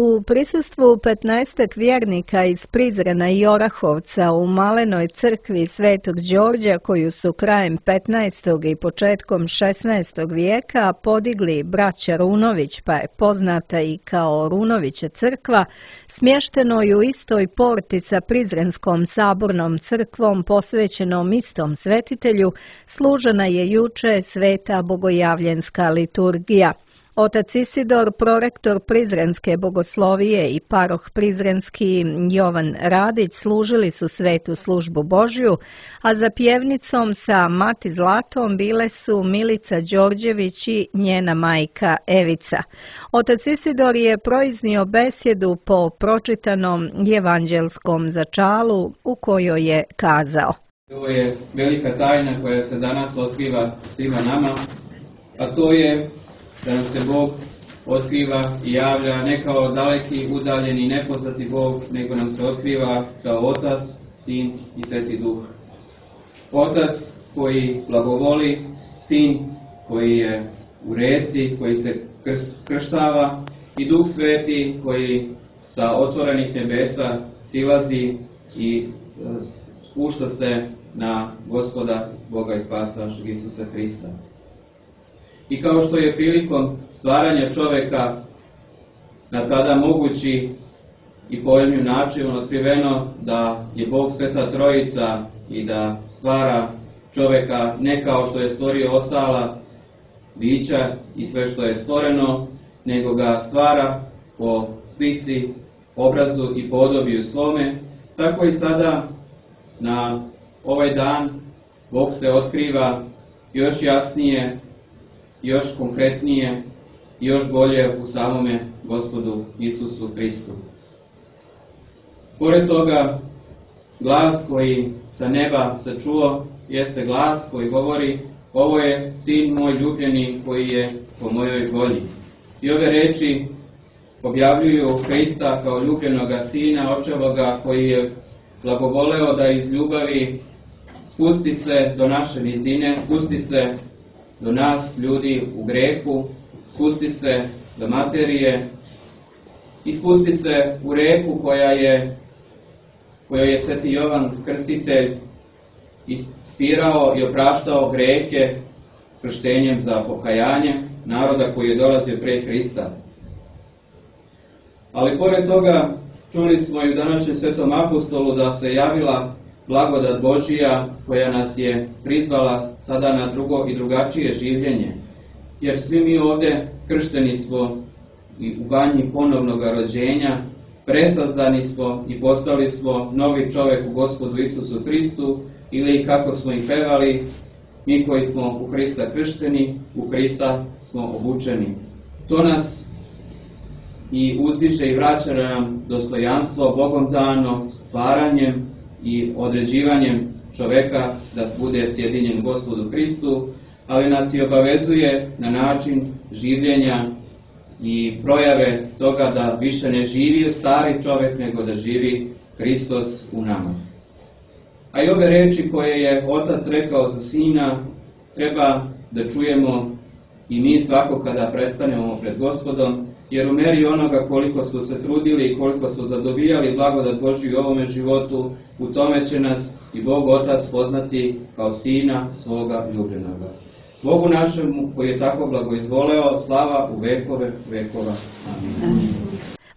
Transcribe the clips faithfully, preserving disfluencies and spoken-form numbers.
U prisustvu petnaestak vjernika iz Prizrena i Orahovca u Malenoj crkvi Svetog Đorđa, koju su krajem petnaestog i početkom šesnaestog vijeka podigli braća Runović, pa je poznata i kao Runovića crkva, smještenoj u istoj porti sa Prizrenskom sabornom crkvom posvećenom istom svetitelju, služena je juče sveta bogojavljenska liturgija. Otac Isidor, prorektor Prizrenske bogoslovije i paroh Prizrenski Jovan Radić služili su svetu službu Božju, a za pjevnicom sa Mati Zlatom bile su Milica Đorđević i njena majka Evica. Otac Isidor je proiznio besjedu po pročitanom evanđelskom začalu u kojoj je kazao: Ovo je velika tajna koja se danas otkriva svima nama, a to je da nam se Bog otkriva i javlja ne kao daleki, udaljeni, nepoznati Bog, nego nam se otkriva kao Otac, Sin i Sveti Duh. Otac koji blagovoli, Sin koji je u reci, koji se krštava i Duh Sveti koji sa otvorenih nebesa silazi i spušta se na Gospoda, Boga i Spasa našeg Isusa Hrista. I kao što je prilikom stvaranja čoveka na tada mogući i pojemnim načinom otkriveno da je Bog Sveta Trojica i da stvara čoveka ne kao što je stvorio ostala bića i sve što je stvoreno, nego ga stvara po slici, obrazu i podobiju svome, tako i sada na ovaj dan Bog se otkriva još jasnije, još konkretnije i još bolje u samome Gospodu Isusu Hristu. Pored toga, glas koji sa neba se čuo jeste glas koji govori: ovo je Sin moj ljubljeni koji je po mojoj volji. I ove reči objavljuju Hrista kao ljubljenoga Sina Očevoga koji je blagovoleo da iz ljubavi spusti se do naše nizine, spusti se do nas, ljudi u grehu, spusti se do materije i spusti se u reku koja je, kojoj je Sveti Jovan Krstitelj ispirao i opraštao grehe krštenjem za pokajanje naroda koji je dolazio pre Hrista. Ali pored toga čuli smo i u današnjem Svetom apostolu da se javila blagodat Božija koja nas je prizvala sada na drugo i drugačije življenje, jer svi mi ovdje kršteni smo i u banji ponovnog rođenja, presazdani smo i postali smo novi čovjek u Gospodu Isusu Hristu, ili kako smo i pevali, mi koji smo u Hrista kršteni, u Hrista smo obučeni. To nas i uzdiže i vraća nam dostojanstvo Bogom dano stvaranjem i određivanjem čoveka da bude sjedinjen Gospodu Hristu, ali nas i obavezuje na način življenja i projave toga da više ne živi stari čovjek, nego da živi Hristos u nama. A i ove reči koje je Otac rekao za Sina treba da čujemo i mi svako kada prestanemo pred Gospodom, jer u meri onoga koliko su se trudili i koliko su zadobijali blagodat Božju u ovome životu, u tome će nas i Bog Otac poznati kao Sina svoga ljubljenoga. Bogu našemu koji je tako blagoizvoleo, slava u vekove vekova. Amin.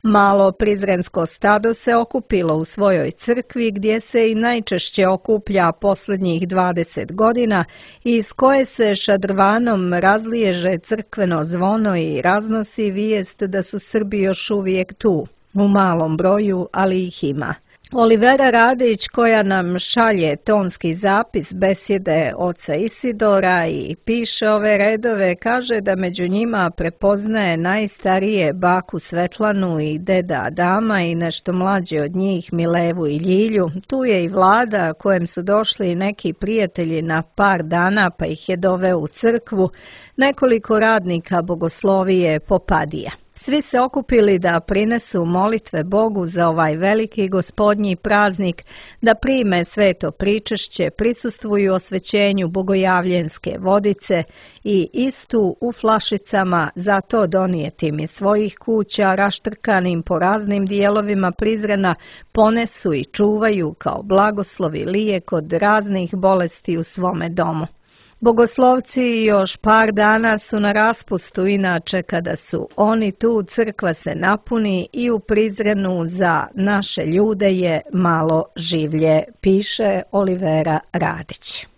Malo prizrensko stado se okupilo u svojoj crkvi, gdje se i najčešće okuplja posljednjih dvadeset godina i iz koje se šadrvanom razliježe crkveno zvono i raznosi vijest da su Srbi još uvijek tu, u malom broju, ali ih ima. Olivera Radić, koja nam šalje tonski zapis besjede oca Isidora i piše ove redove, kaže da među njima prepoznaje najstarije baku Svetlanu i deda Adama i nešto mlađe od njih Milevu i Ljilju. Tu je i Vlada, kojem su došli neki prijatelji na par dana pa ih je doveo u crkvu, nekoliko radnika bogoslovije Popadija. Svi se okupili da prinesu molitve Bogu za ovaj veliki gospodnji praznik, da prime sveto pričešće, prisustvuju osvećenju bogojavljenske vodice i istu u flašicama zato donijetim iz svojih kuća raštrkanim po raznim dijelovima Prizrena ponesu i čuvaju kao blagoslovi lijek od raznih bolesti u svome domu. Bogoslovci još par dana su na raspustu, inače kada su oni tu, crkva se napuni i u Prizrenu za naše ljude je malo življe, piše Olivera Radić.